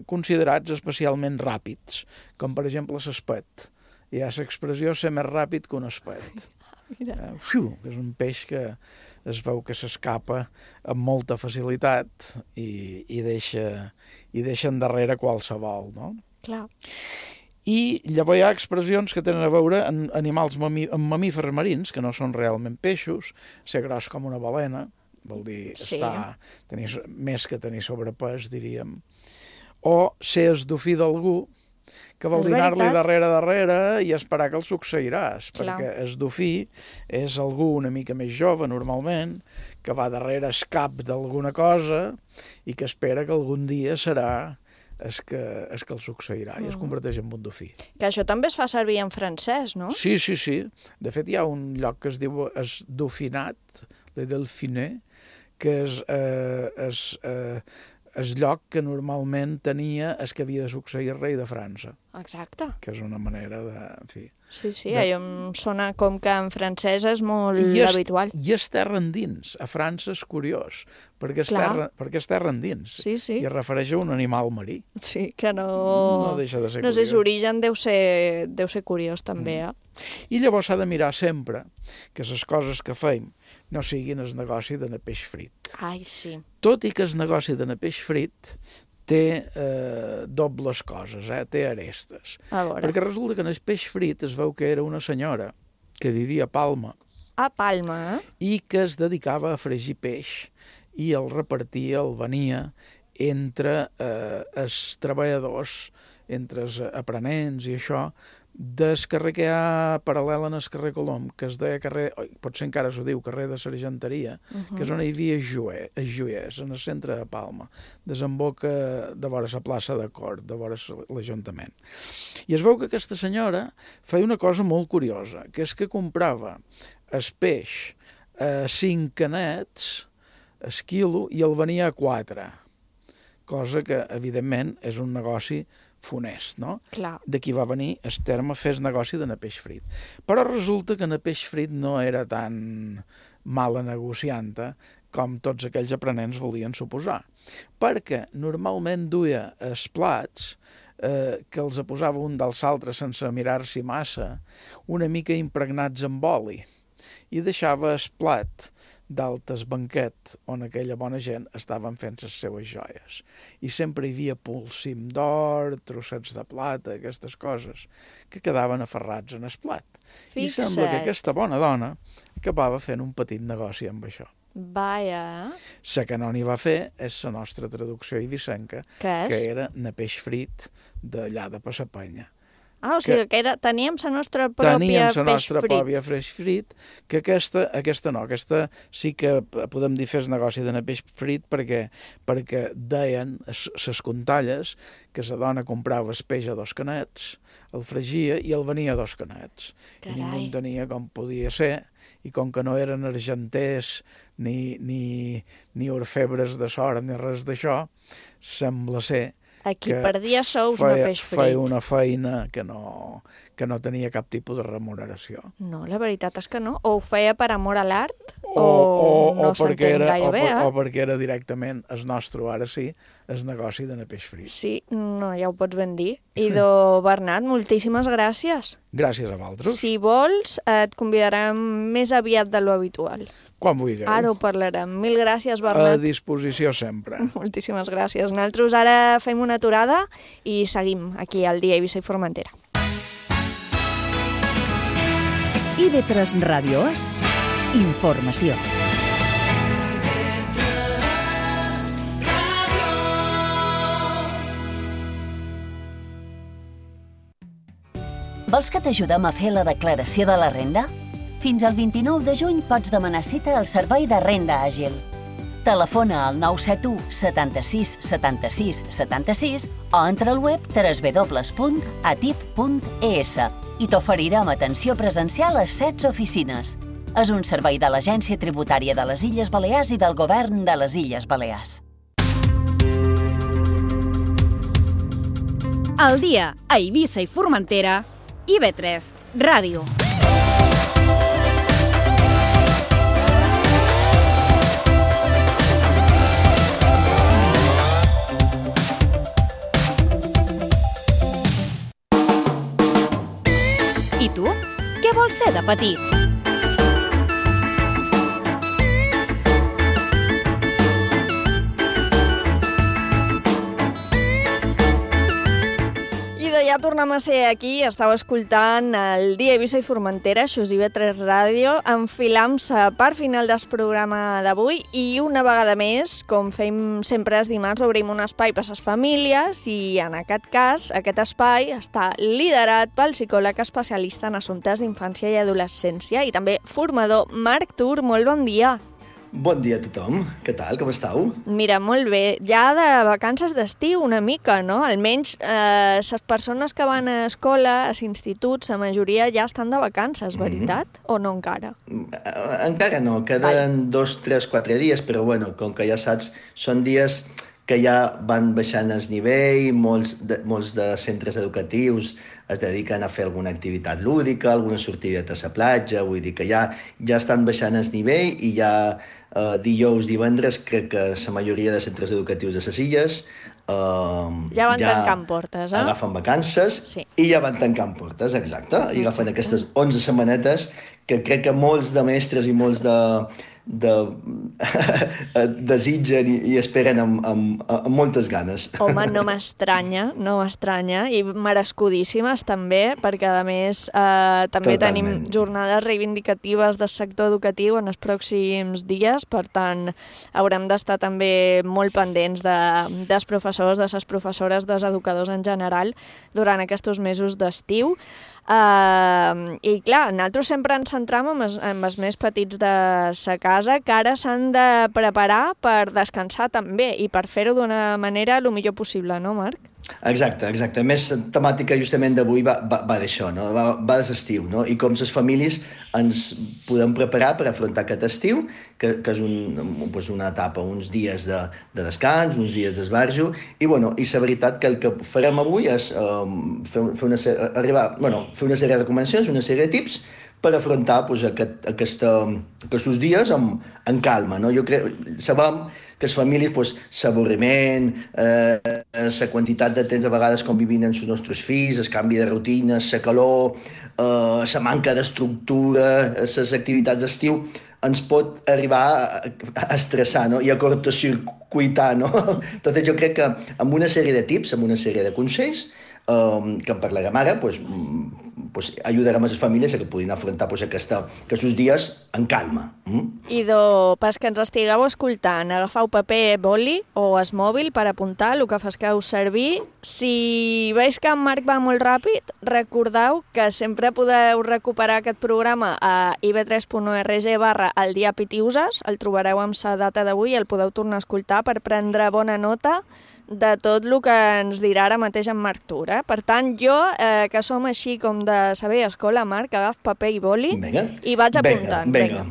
considerats especialment ràpids, com per exemple l'espet. Hi ha l'expressió ser més ràpid que un espet. Mira. Que és un peix que es veu que s'escapa amb molta facilitat i deixa endarrere qualsevol, no? Clar. I llavors hi ha expressions que tenen a veure amb animals, amb mamífers marins, que no són realment peixos, ser gros com una balena, vol dir tenir més que tenir sobrepès, diríem, o ser el dofí d'algú, que vol dir anar-li darrere i esperar que el succeiràs, perquè el dofí és algú una mica més jove, normalment, que va darrere el cap d'alguna cosa i que espera que algun dia serà el que el succeirà i es converteix en un dofí. Que això també es fa servir en francès, no? Sí. De fet, hi ha un lloc que es diu es Dauphinat, le Delphiné, que és el lloc que normalment tenia el que havia de succeir rei de França. Exacte. Que és una manera de... En fi, sí, allò em sona com que en francès és molt habitual. I és terra endins. A França és curiós, perquè és terra endins. Sí. I es refereix a un animal marí. Sí, que no... No deixa de ser curiós. No sé, l'origen deu ser curiós, també, I llavors s'ha de mirar sempre que les coses que fem no siguin el negoci d'anar peix frit. Ai, sí. Tot i que el negoci d'anar peix frit té dobles coses, té arestes. Perquè resulta que en el peix frit es veu que era una senyora que vivia a Palma. A Palma, I que es dedicava a fregir peix i el repartia, el venia entre els treballadors, entre els aprenents i això, del carrer que hi ha paral·lel en el carrer Colom, que es deia carrer, potser encara s'ho diu, carrer de Sargenteria, que és on hi havia joiers, en el centre de Palma, desemboca de vora la plaça de Cort, de vora l'Ajuntament. I es veu que aquesta senyora feia una cosa molt curiosa, que és que comprava el peix a 5 canets, el quilo, i el venia a 4, cosa que, evidentment, és un negoci funest, no? Clar. D'aquí va venir el terme fer negoci d'anar peix frit. Però resulta que anar peix frit no era tan mala negocianta com tots aquells aprenents volien suposar. Perquè normalment duia els plats que els posava un dels altres sense mirar-s'hi massa, una mica impregnats amb oli, i deixava el plat d'altes banquet on aquella bona gent estaven fent les seues joies. I sempre hi havia polsim d'or, trossets de plata, aquestes coses, que quedaven aferrats en el plat. I sembla que aquesta bona dona acabava fent un petit negoci amb això. Vaja. La que no n'hi va fer és la nostra traducció eivissenca, que era na peix frit d'allà de Passapanya. O sigui que teníem la nostra pròpia peix frit, que aquesta sí que podem dir fer el negoci d'anar peix frit perquè deien les contalles que la dona comprava el peix a 2 canets, el fregia i el venia a 2 canets. I ningú entenia com podia ser, i com que no eren argenters ni orfebres de sort ni res d'això, sembla ser Aquí perdia sous no peix frit. Feia una feina que no tenia cap tipus de remuneració. No, la veritat és que no. O ho feia per amor a l'art, o no s'entén gaire bé. O perquè era directament el nostre, ara sí, el negoci d'anar peix frit. Sí, no, ja ho pots ben dir. Idò Bernat, moltíssimes gràcies. Gràcies a vosaltres. Si vols, et convidarem més aviat de lo habitual. Quan vulgueu. Ara ho parlarem. Mil gràcies, Bernat. A disposició sempre. Moltíssimes gràcies. Nosaltres ara fem una aturada i seguim aquí al Dia Eivissa i Formentera. IB3 Ràdio és informació. Vols que t'ajudem a fer la declaració de la renda? Fins al 29 de juny pots demanar cita al Servei de Renda Àgil. Telefona al 971 76 76 76 o entra al web www.atip.es i t'oferirem atenció presencial a 16 oficines. És un servei de l'Agència Tributària de les Illes Balears i del Govern de les Illes Balears. Al dia a Eivissa i Formentera, IB3 Ràdio. I tu? Què vols ser de petit? Ja tornem a ser aquí, estàu escoltant el Dia Eivissa i Formentera, això és IB3 Ràdio, enfilant-se per final del programa d'avui i una vegada més, com fem sempre els dimarts, obrim un espai per a les famílies i en aquest cas, aquest espai està liderat pel psicòleg especialista en assumptes d'infància i adolescència i també formador Marc Tur. Molt bon dia. Bon dia a tothom. Què tal? Com estàu? Mira, molt bé. Ja de vacances d'estiu una mica, no? Almenys les persones que van a escola, als instituts, la majoria ja estan de vacances, veritat? O no encara? Encara no. Queden 2, 3, 4 dies, però bueno, com que ja saps, són dies que ja van baixant el nivell, molts de centres educatius es dediquen a fer alguna activitat lúdica, alguna sortideta a la platja, vull dir que ja estan baixant el nivell i ja dijous, divendres, crec que la majoria de centres educatius de les Illes ja van tancant portes, agafen vacances i ja van tancant portes, exacte, i agafen aquestes 11 setmanetes que crec que molts de mestres i molts desitgen i esperen amb moltes ganes. Home, no m'estranya, i merescudíssimes també, perquè a més també tenim jornades reivindicatives del sector educatiu en els pròxims dies, per tant haurem d'estar també molt pendents dels professors, de les professores, dels educadors en general durant aquests mesos d'estiu. I clar, nosaltres sempre ens centram en els més petits de sa casa, que ara s'han de preparar per descansar també i per fer-ho d'una manera el millor possible, no, Marc? Exacte. A més, la temàtica justament d'avui va d'això, no? Va de l'estiu, no? I com les famílies ens podem preparar per afrontar aquest estiu, que és una etapa, uns dies de descans, uns dies d'esbarjo, i la veritat que el que farem avui és fer una sèrie de recomanacions, una sèrie de tips per afrontar aquests dies amb calma, no? Sabem que les famílies, l'avorriment, la quantitat de temps a vegades convivint amb els nostres fills, el canvi de rutina, la calor, la manca d'estructura, les activitats d'estiu, ens pot arribar a estressar, no? I a cortocircuitar, no? Tot jo crec que amb una sèrie de tips, amb una sèrie de consells, que en parlarem ara, ajudarem a les famílies a que puguin afrontar aquests dies en calma. Idò, pas que ens estigueu escoltant, agafeu paper, boli o el mòbil per apuntar el que fasqueu servir. Si veus que en Marc va molt ràpid, recordeu que sempre podeu recuperar aquest programa a ib3.org/el dia Pitiuses, el trobareu amb la data d'avui i el podeu tornar a escoltar per prendre bona nota de tot el que ens dirà ara mateix en Marc Tur. Per tant, jo, que som així com de saber escola, Marc, agaf paper i boli i vaig apuntant. Vinga.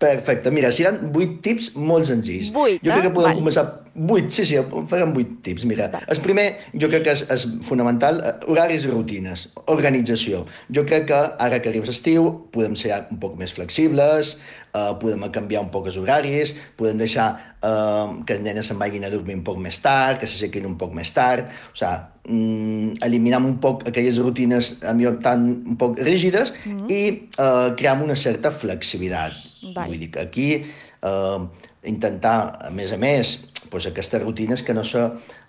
Perfecte. Mira, seran 8 tips molt senzills. 8, jo crec que podem començar... 8, sí, farem 8 tips. Mira, el primer, jo crec que és fonamental, horaris i rutines, organització. Jo crec que ara que arriba l'estiu podem ser un poc més flexibles, podem canviar un poc els horaris, podem deixar que els nenes se'n vagin a dormir un poc més tard, que s'aixequin un poc més tard, o sigui, eliminar un poc aquelles rutines tan un poc rígides i crear una certa flexibilitat. Vull dir que aquí intentar, a més, aquestes rutines que no se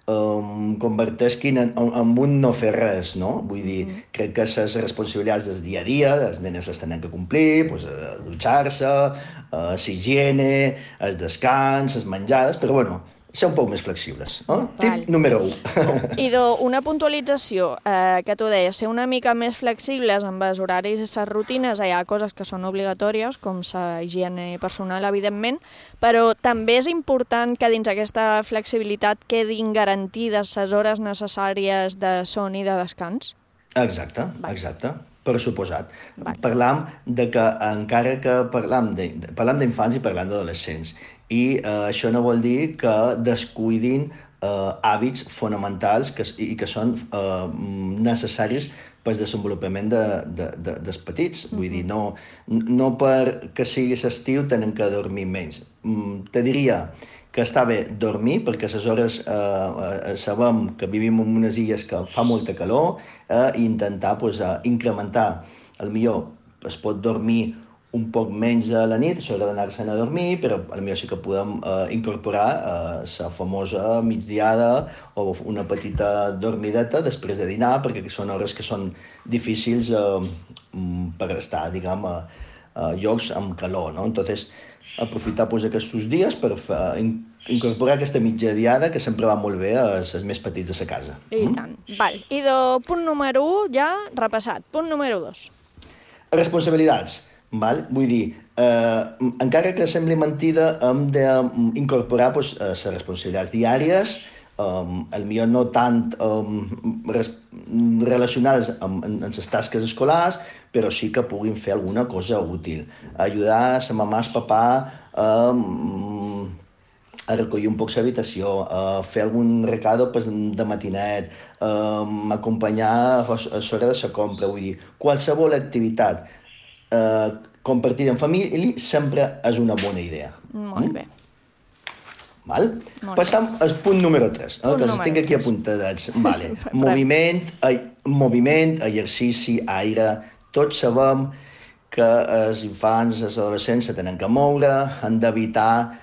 converteixin en un no fer res, no? Vull dir, crec que les responsabilitats del dia a dia, les nenes les tenen que complir, dutxar-se, l'higiene, el descans, les menjades, però bueno, ser un poc més flexibles. Tip número 1. Idò, una puntualització, que tu deies, ser una mica més flexibles amb els horaris i les rutines, hi ha coses que són obligatòries, com la higiene personal, evidentment, però també és important que dins aquesta flexibilitat quedin garantides les hores necessàries de son i de descans? Exacte, per suposat. Parlam de que, encara que parlam d'infants i parlam d'adolescents, i això no vol dir que descuidin hàbits fonamentals i que són necessaris pel desenvolupament dels petits. Vull dir, no perquè sigui estiu tenen que dormir menys. Te diria que està bé dormir, perquè a les hores sabem que vivim en unes illes que fa molta calor, i intentar incrementar. Potser es pot dormir un poc menys a la nit, això d'anar-se'n a dormir, però potser sí que podem incorporar la famosa migdiada o una petita dormideta després de dinar, perquè són hores que són difícils per estar, diguem, a llocs amb calor, no? Entonces, aprofitar aquests dies per incorporar aquesta mitjadiada que sempre va molt bé als més petits de la casa. I tant. Val. I punt número 1 ja repassat. Punt número 2. Responsabilitats. Vull dir, encara que sembli mentida, hem d'incorporar les responsabilitats diàries, potser no tant relacionades amb les tasques escolars, però sí que puguin fer alguna cosa útil. Ajudar la mamà i el papà a recollir un poc l'habitació, a fer algun recado de matinet, acompanyar a l'hora de la compra. Vull dir, qualsevol activitat compartida en família sempre és una bona idea. Molt bé. Passam al punt número 3, que els tinc aquí apuntadets. Moviment, exercici, aire. Tots sabem que els infants, els adolescents se tenen que moure, han d'evitar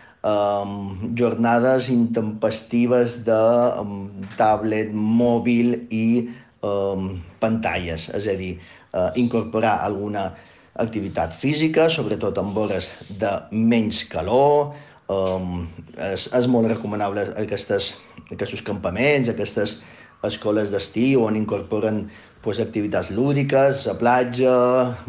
jornades intempestives de tablet, mòbil i pantalles. És a dir, incorporar alguna activitat física, sobretot en hores de menys calor. És molt recomanable aquests campaments, aquestes escoles d'estiu on incorporen activitats lúdiques, a platja.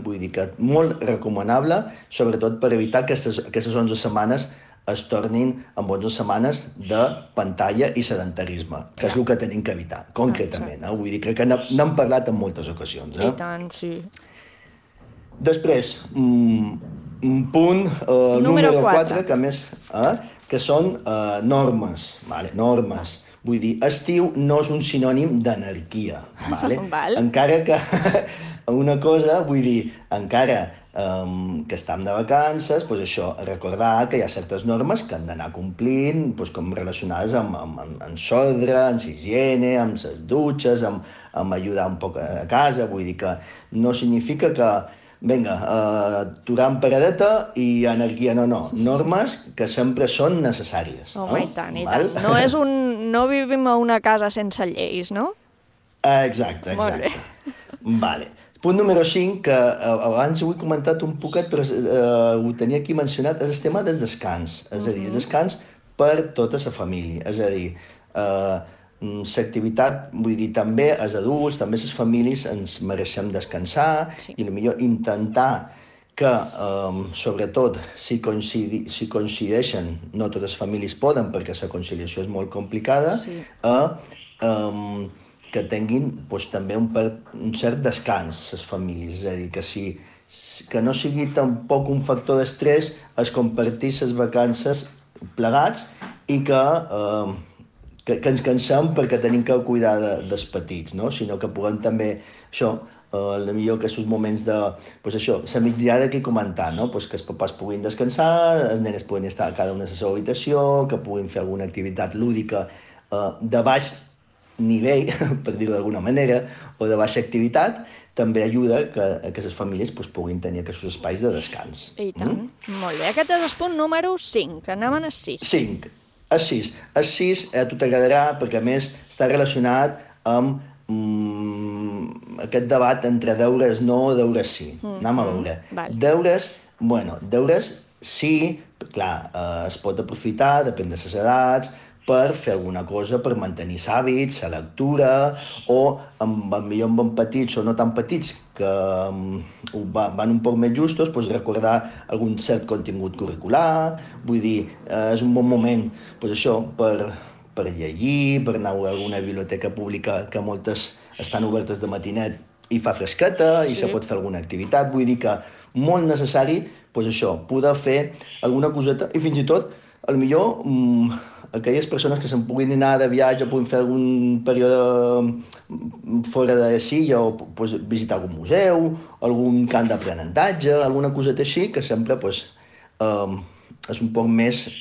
Vull dir que molt recomanable, sobretot per evitar que aquestes 11 setmanes es tornin en 11 setmanes de pantalla i sedentarisme, que és el que tenim que evitar, concretament. Vull dir, crec que n'hem parlat en moltes ocasions. I tant, sí. Després, un punt número 4, que són normes. Normes. Vull dir, estiu no és un sinònim d'anarquia. Encara que una cosa, vull dir, encara que estem de vacances, això, recordar que hi ha certes normes que han d'anar complint, com relacionades amb l'ordre, amb l'higiene, amb les dutxes, amb ajudar un poc a casa. Vull dir que no significa que vinga, aturar en paradeta i anarquia, no. Normes que sempre són necessàries. Home, i tant, i tant. No vivim a una casa sense lleis, no? Exacte. Molt bé. Vale. Punt número 5, que abans ho he comentat un poquet, però ho tenia aquí mencionat, és el tema del descans. És a dir, el descans per tota la família. És a dir, l'activitat, vull dir, també els adults, també les famílies ens mereixem descansar i potser intentar que, sobretot, si coincideixen, no totes les famílies poden perquè la conciliació és molt complicada, que tinguin també un cert descans les famílies. És a dir, que no sigui tampoc un factor d'estrès es compartir les vacances plegats i que ens cansem perquè tenim que cuidar dels petits, sinó que puguem també, potser aquests moments de, la migdiada que he comentat, que els papàs puguin descansar, els nenes puguin estar cada una a la seva habitació, que puguin fer alguna activitat lúdica de baix nivell, per dir-ho d'alguna manera, o de baixa activitat, també ajuda que les famílies puguin tenir aquests espais de descans. I tant. Molt bé. Aquest és el punt número 5. Anem al 6. 5. El 6. El 6 a tu t'agradarà perquè, a més, està relacionat amb aquest debat entre deures no o deures sí. Anem a veure. Deures sí, clar, es pot aprofitar, depèn de les edats, per fer alguna cosa per mantenir hàbits, la lectura, o potser amb petits o no tan petits, que van un poc més justos, doncs recordar algun cert contingut curricular, vull dir, és un bon moment, doncs això, per llegir, per anar a alguna biblioteca pública, que moltes estan obertes de matinet i fa fresqueta, i se pot fer alguna activitat, vull dir que molt necessari, doncs això, poder fer alguna coseta, i fins i tot, potser aquelles persones que se'n puguin anar de viatge, puguin fer algun període fora de Silla, o visitar algun museu, algun camp d'aprenentatge, alguna coseta així, que sempre és un poc més,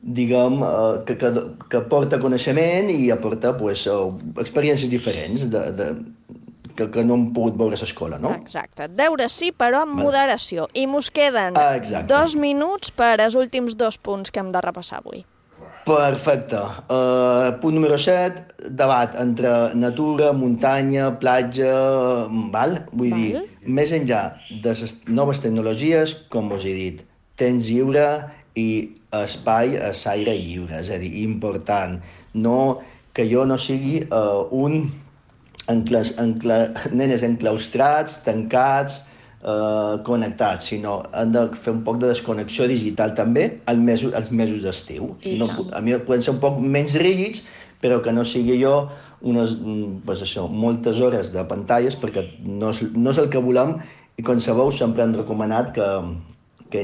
diguem, que aporta coneixement i aporta experiències diferents que no hem pogut veure a l'escola, no? Exacte. Deure sí, però amb moderació. I mos queden 2 minuts per als últims 2 punts que hem de repassar avui. Perfecte. Punt número 7, debat entre natura, muntanya, platja, vull dir, més enllà de les noves tecnologies, com us he dit, temps lliure i espai a l'aire lliure, és a dir, important. No, que jo no sigui nenes enclaustrats, tancats, connectats, sinó han de fer un poc de desconnexió digital també als mesos d'estiu. A mi poden ser un poc menys rígids, però que no sigui jo moltes hores de pantalles, perquè no és el que volem, i com sabeu sempre han recomanat que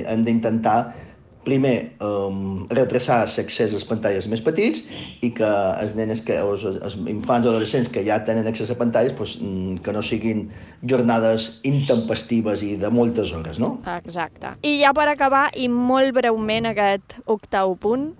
hem d'intentar primer, retrasar l'accés a les pantalles més petits, i que els nenes, els infants o adolescents que ja tenen accés a pantalles, que no siguin jornades intempestives i de moltes hores, no? Exacte. I ja per acabar, i molt breument, aquest 8è punt.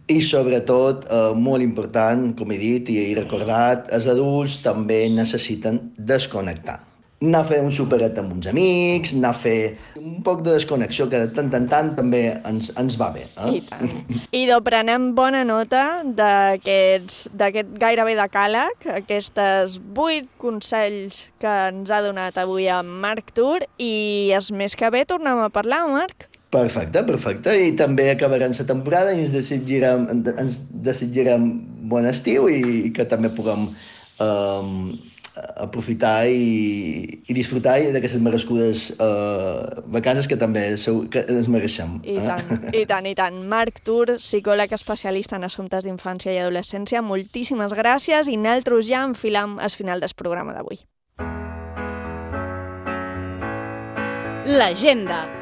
I sobretot, molt important, com he dit i he recordat, els adults també necessiten desconnectar. Anar a fer un superet amb uns amics, anar a fer un poc de desconnexió, que de tant en tant també ens va bé. I tant. I prenem bona nota d'aquest gairebé decàleg, aquests 8 consells que ens ha donat avui en Marc Tur, i és més que bé, tornem a parlar, Marc. Perfecte. I també acabarem la temporada i ens desitjarem bon estiu i que també puguem aprofitar i disfrutar d'aquestes merescudes vacances que també ens mereixem. I tant. Marc Tur, psicòleg especialista en assumptes d'infància i adolescència, moltíssimes gràcies, i nosaltres ja enfilam al final del programa d'avui. L'agenda.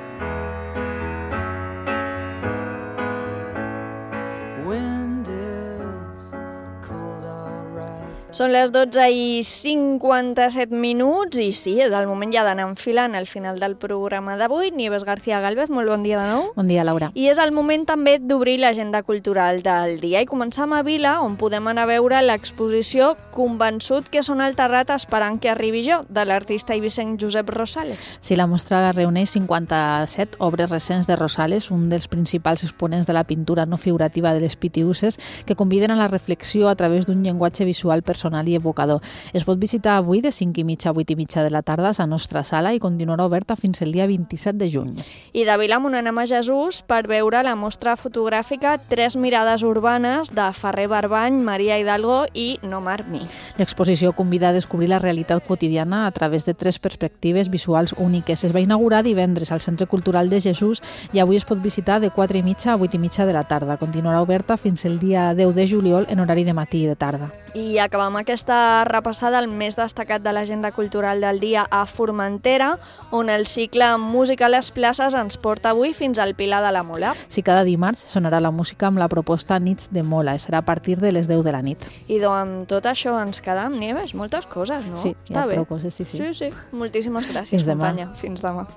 Són les 12:57 i sí, és el moment ja d'anar enfilant al final del programa d'avui. Nieves García Gálvez, molt bon dia de nou. Bon dia, Laura. I és el moment també d'obrir l'agenda cultural del dia. I començam a Vila, on podem anar a veure l'exposició Convençut que són alta rata esperant que arribi jo, de l'artista eivissenc Josep Rosales. Sí, la mostra reuneix 57 obres recents de Rosales, un dels principals exponents de la pintura no figurativa de les Pitiuses, que conviden a la reflexió a través d'un llenguatge visual personal i evocador. Es pot visitar avui de 5:30 a 8:30 de la tarda a la nostra sala i continuarà oberta fins el dia 27 de juny. I de Vilamunt anem a Jesús per veure la mostra fotogràfica 3 mirades urbanes de Ferrer Barbany, Maria Hidalgo i Nomar Mi. L'exposició convida a descobrir la realitat quotidiana a través de 3 perspectives visuals úniques. Es va inaugurar divendres al Centre Cultural de Jesús i avui es pot visitar de 4:30 a 8:30 de la tarda. Continuarà oberta fins el dia 10 de juliol en horari de matí i de tarda. I acabam aquesta repassada al més destacat de l'agenda cultural del dia a Formentera, on el cicle Música a les places ens porta avui fins al Pilar de la Mola. Sí, cada dimarts sonarà la música amb la proposta Nits de Mola, i serà a partir de les 10 de la nit. I amb tot això ens quedem, Nieves, moltes coses, no? Sí, hi ha prou coses, sí. Sí, moltíssimes gràcies, companya. Fins demà.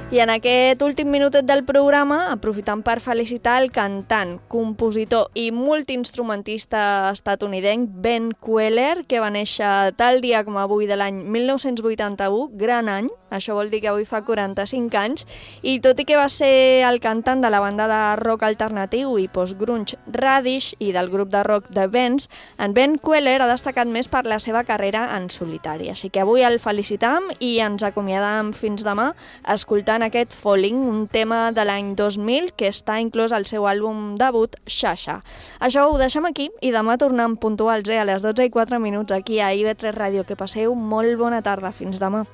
I I en aquest últim minutet del programa, aprofitant per felicitar el cantant, compositor i multiinstrumentista estatunidenc Ben Kweller, que va néixer tal dia com avui de l'any 1981, gran any, això vol dir que avui fa 45 anys, i tot i que va ser el cantant de la banda de rock alternatiu i post-grunge Radish i del grup de rock The Bends, en Ben Kweller ha destacat més per la seva carrera en solitari. Així que avui el felicitam i ens acomiadam fins demà escoltant aquest Falling, un tema de l'any 2000 que està inclòs al seu àlbum debut, Xaxa. Això ho deixem aquí i demà tornem puntuals a les 12:04 aquí a IB3 Ràdio. Que passeu molt bona tarda. Fins demà.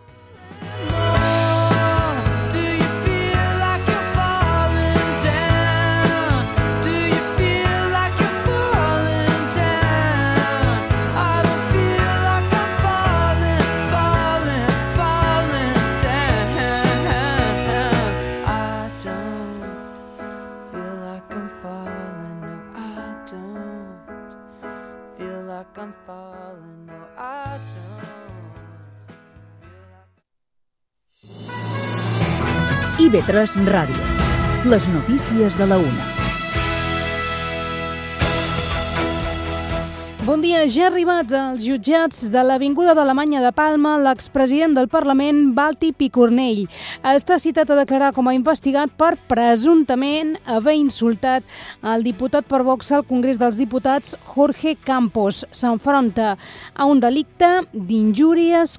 IB3 Ràdio. Les notícies de la 1. Bon dia, ja arribats als jutjats de l'Avinguda d'Alemanya de Palma, l'expresident del Parlament, Valtí Picornell, està citat a declarar com a investigat per presumptament haver insultat el diputat per Vox al Congrés dels Diputats, Jorge Campos. S'enfronta a un delicte d'injúries